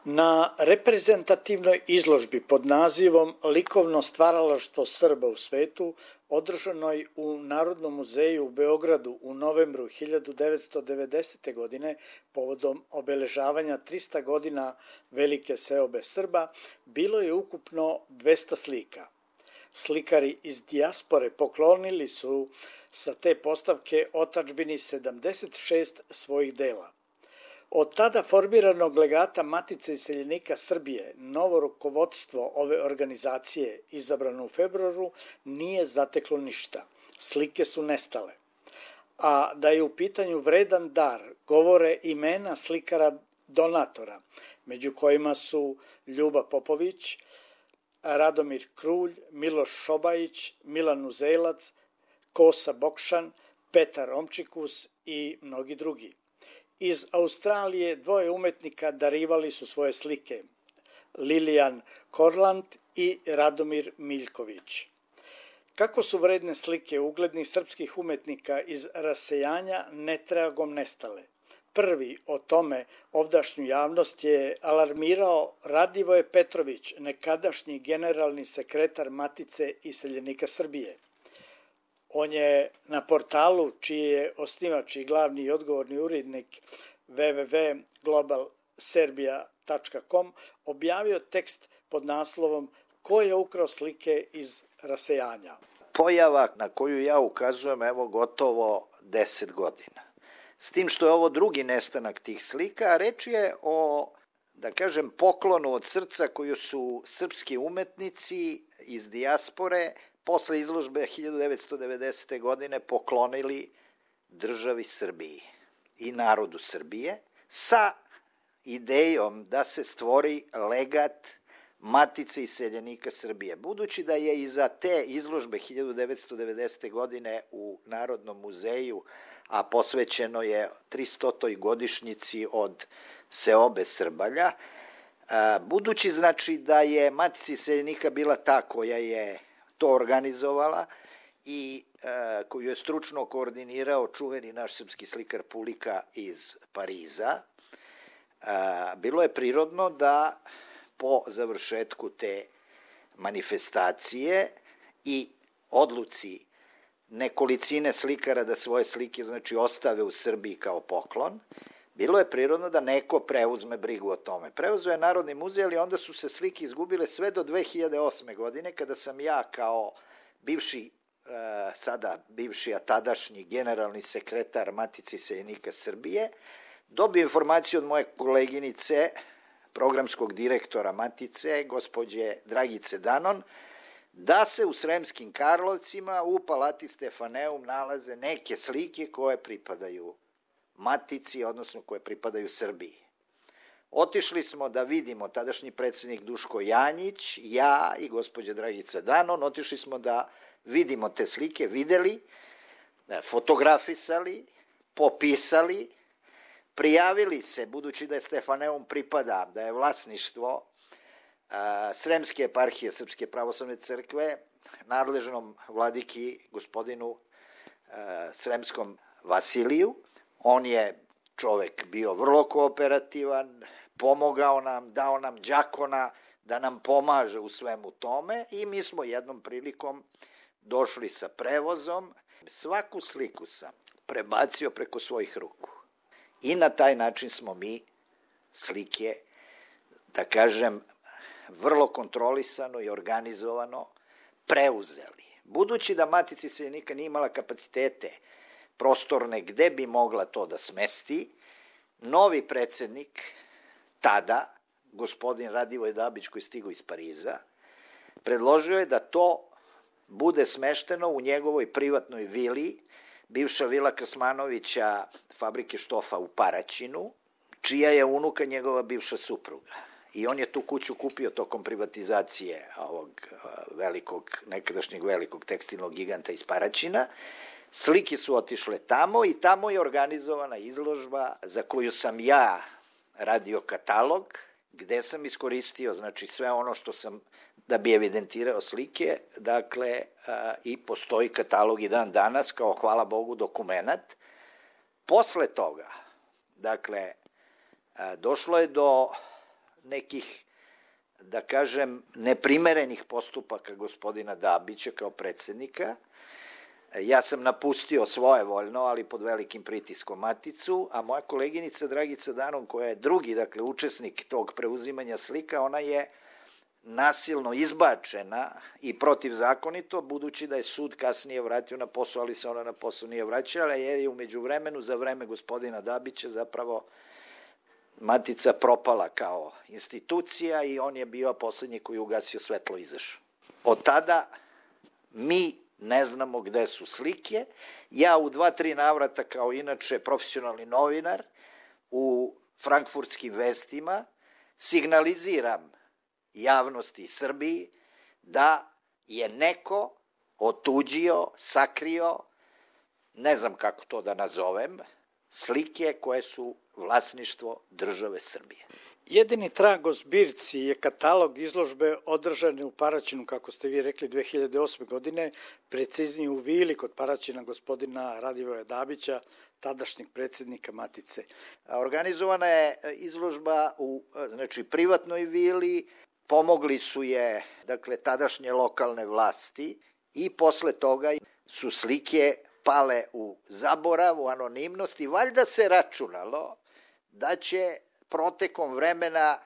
Na reprezentativnoj izložbi pod nazivom Likovno stvaralaštvo Srba u svetu, održanoj u Narodnom muzeju u Beogradu u novembru 1990. godine povodom obeležavanja 300 godina velike seobe Srba, bilo je ukupno 200 slika. Slikari iz dijaspore poklonili su sa te postavke otadžbini 76 svojih dela. Od tada formiranog legata Matice iseljenika Srbije, novo rukovodstvo ove organizacije, izabrano u februaru, nije zateklo ništa. Slike su nestale. A da je u pitanju vredan dar, govore imena slikara donatora, među kojima su Ljuba Popović, Radomir Krulj, Miloš Šobajić, Milan Uzelac, Kosa Bokšan, Petar Romčikus i mnogi drugi. Iz Australije dvoje umetnika darivali su svoje slike, Lilijan Korland i Radomir Miljković. Kako su vredne slike uglednih srpskih umetnika iz rasejanja netragom nestale? Prvi o tome ovdašnju javnost je alarmirao Radivoje Petrović, nekadašnji generalni sekretar Matice iseljenika Srbije. On je na portalu, čiji je osnivač i glavni i odgovorni urednik www.globalserbia.com, objavio tekst pod naslovom Ko je ukrao slike iz rasejanja. Pojava na koju ja ukazujem evo gotovo 10 godina. S tim što je ovo drugi nestanak tih slika, a reč je o, da kažem, poklonu od srca koju su srpski umetnici iz dijaspore posle izložbe 1990. godine poklonili državi Srbiji i narodu Srbije sa idejom da se stvori legat Matice iseljenika Srbije. Budući da je iza te izložbe 1990. godine u Narodnom muzeju, a posvećeno je 300. godišnjici od seobe Srbalja, budući znači da je Matica iseljenika bila ta koja je to organizovala i koju je stručno koordinirao čuveni naš srpski slikar Pulika iz Pariza, bilo je prirodno da po završetku te manifestacije i odluci nekolicine slikara da svoje slike znači ostave u Srbiji kao poklon, bilo je prirodno da neko preuzme brigu o tome. Preuzeo je Narodni muzej, ali onda su se slike izgubile sve do 2008. godine, kada sam ja kao bivši, a tadašnji generalni sekretar Matice iseljenika Srbije, dobio informaciju od moje koleginice, programskog direktora Matice, gospođe Dragice Danon, da se u Sremskim Karlovcima u Palati Stefaneum nalaze neke slike koje pripadaju Matici, odnosno koje pripadaju Srbiji. Otišli smo da vidimo, tadašnji predsednik Duško Janjić, ja i gospođa Dragica Danon, otišli smo da vidimo te slike, videli, fotografisali, popisali, prijavili se, budući da je Stefaneum pripada, da je vlasništvo Sremske eparhije Srpske pravoslavne crkve, nadležnom vladiki gospodinu Sremskom Vasiliju. On je čovek bio vrlo kooperativan, pomogao nam, dao nam đakona da nam pomaže u svemu tome i mi smo jednom prilikom došli sa prevozom. Svaku sliku sam prebacio preko svojih ruku i na taj način smo mi slike, da kažem, vrlo kontrolisano i organizovano preuzeli. Budući da Matica iseljenika nije imala kapacitete prostorne gde bi mogla to da smesti, novi predsednik, tada, gospodin Radivoj Dabić, koji je stigao iz Pariza, predložio je da to bude smešteno u njegovoj privatnoj vili, bivša vila Krasmanovića, fabrike štofa u Paraćinu, čija je unuka njegova bivša supruga. I on je tu kuću kupio tokom privatizacije ovog nekadašnjeg velikog tekstilnog giganta iz Paraćina. Slike su otišle tamo i tamo je organizovana izložba za koju sam ja radio katalog, gde sam iskoristio znači sve ono što sam da bi evidentirao slike, dakle i postoji katalog i dan danas kao, hvala Bogu, dokumenat. Posle toga, dakle, došlo je do nekih, da kažem, neprimerenih postupaka gospodina Dabića kao predsednika. Ja sam napustio svojevoljno, ali pod velikim pritiskom Maticu, a moja koleginica Dragica Danon, koja je drugi, dakle, učesnik tog preuzimanja slika, ona je nasilno izbačena i protivzakonito, budući da je sud kasnije vratio na posao, ali se ona na posao nije vraćala, jer je umeđu vremenu, za vreme gospodina Dabića, zapravo Matica propala kao institucija i on je bio poslednji koji ugasio svetlo i izašao. Od tada mi ne znamo gde su slike. Ja u 2-3 navrata, kao inače profesionalni novinar, u frankfurtskim vestima signaliziram javnosti Srbiji da je neko otuđio, sakrio, ne znam kako to da nazovem, slike koje su vlasništvo države Srbije. Jedini trag o zbirci je katalog izložbe održane u Paraćinu, kako ste vi rekli, 2008. godine, preciznije u vili kod Paraćina gospodina Radivoja Dabića, tadašnjeg predsednika Matice. Organizovana je izložba u privatnoj vili, pomogli su je, dakle, tadašnje lokalne vlasti i posle toga su slike pale u zaborav, u anonimnost i valjda se računalo da će protekom vremena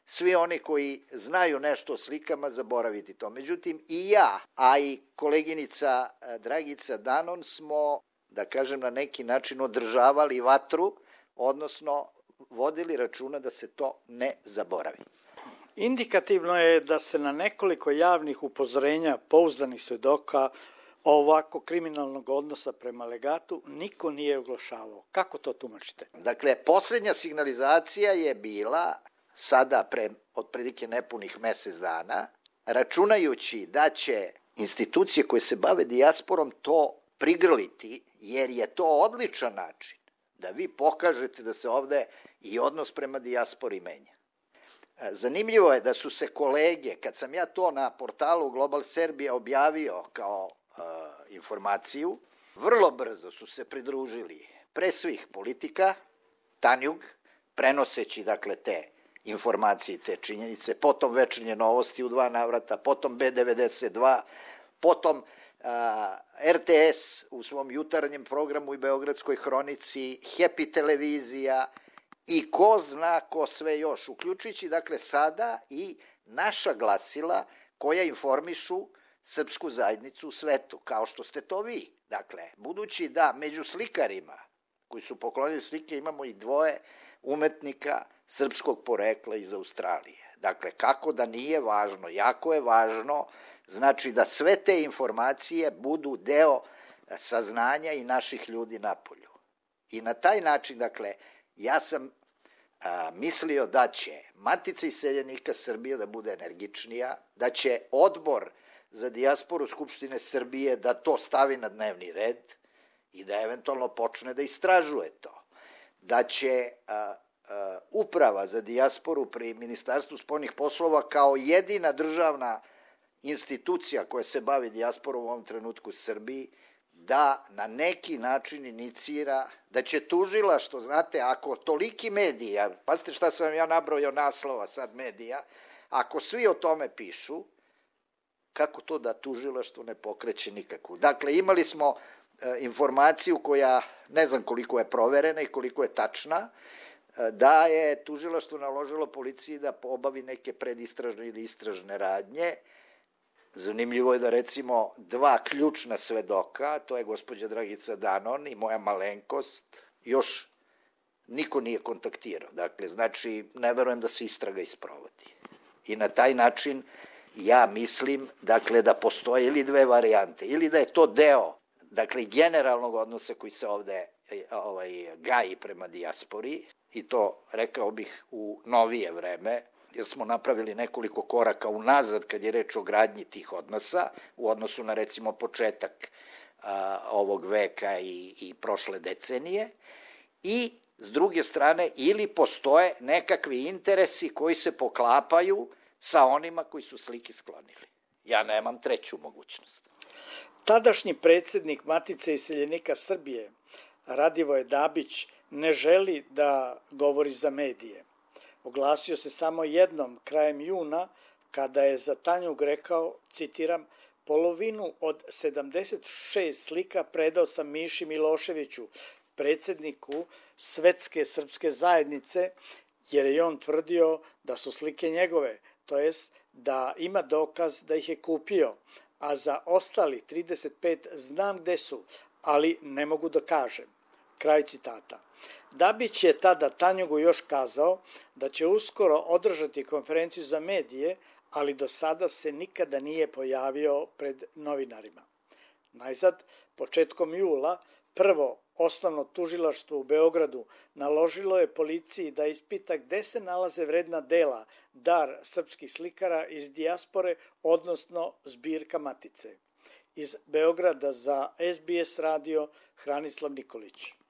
svi oni koji znaju nešto o slikama zaboraviti to. Međutim, i ja, a i koleginica Dragica Danon smo, da kažem, na neki način održavali vatru, odnosno vodili računa da se to ne zaboravi. Indikativno je da se na nekoliko javnih upozorenja pouzdanih svedoka ovako kriminalnog odnosa prema legatu niko nije oglašavao. Kako to tumačite? Dakle, poslednja signalizacija je bila sada pre otprilike nepunih mesec dana, računajući da će institucije koje se bave dijasporom to prigrliti, jer je to odličan način da vi pokažete da se ovde i odnos prema dijaspori menja. Zanimljivo je da su se kolege, kad sam ja to na portalu Global Serbia objavio kao informaciju, vrlo brzo su se pridružili pre svih politika, Tanjug, prenoseći, dakle, te informacije i te činjenice, potom Večernje novosti u 2 navrata, potom B92, potom RTS u svom jutarnjem programu i Beogradskoj hronici, Happy televizija i ko zna ko sve još, uključujući, dakle, sada i naša glasila koja informišu srpsku zajednicu u svetu, kao što ste to vi. Dakle, budući da među slikarima koji su poklonili slike imamo i 2 umetnika srpskog porekla iz Australije. Dakle, kako da nije važno, jako je važno, znači da sve te informacije budu deo saznanja i naših ljudi napolju. I na taj način, dakle, ja sam mislio da će Matica iseljenika Srbije da bude energičnija, da će Odbor za dijasporu Skupštine Srbije da to stavi na dnevni red i da eventualno počne da istražuje to. Da će Uprava za dijasporu pri Ministarstvu spoljnih poslova kao jedina državna institucija koja se bavi dijasporom u ovom trenutku u Srbiji, da na neki način inicira, da će tužilaštvo, znate, ako toliki mediji, pazite šta sam ja nabrojao naslova sad medija, ako svi o tome pišu, kako to da tužilaštvo ne pokreće nikakvu? Dakle, imali smo informaciju koja, ne znam koliko je proverena i koliko je tačna, da je tužilaštvo naložilo policiji da obavi neke predistražne ili istražne radnje. Zanimljivo je da, recimo, 2 ključna svedoka, to je gospođa Dragica Danon i moja malenkost, još niko nije kontaktirao. Dakle, znači, ne verujem da se istraga isprovodi. I na taj način ja mislim, dakle, da postoje ili 2 varijante, ili da je to deo, dakle, generalnog odnosa koji se ovde gaji prema dijaspori, i to, rekao bih, u novije vreme, jer smo napravili nekoliko koraka unazad kad je reč o gradnji tih odnosa, u odnosu na, recimo, početak ovog veka i prošle decenije, i s druge strane, ili postoje nekakvi interesi koji se poklapaju sa onima koji su slike sklonili. Ja nemam treću mogućnost. Tadašnji predsednik Matice iseljenika Srbije, Radivoje Dabić, ne želi da govori za medije. Oglasio se samo jednom krajem juna kada je za Tanjug rekao, citiram, polovinu od 76 slika predao sam Miši Miloševiću, predsjedniku Svetske srpske zajednice, jer je on tvrdio da su slike njegove, to jest da ima dokaz da ih je kupio, a za ostali 35 znam gde su, ali ne mogu da kažem. Kraj citata. Dabić je tada Tanjugu još kazao da će uskoro održati konferenciju za medije, ali do sada se nikada nije pojavio pred novinarima. Najzad, početkom jula, prvo osnovno tužilaštvo u Beogradu naložilo je policiji da ispita gde se nalaze vredna dela, dar srpskih slikara iz dijaspore, odnosno zbirka Matice. Iz Beograda za SBS radio Hranislav Nikolić.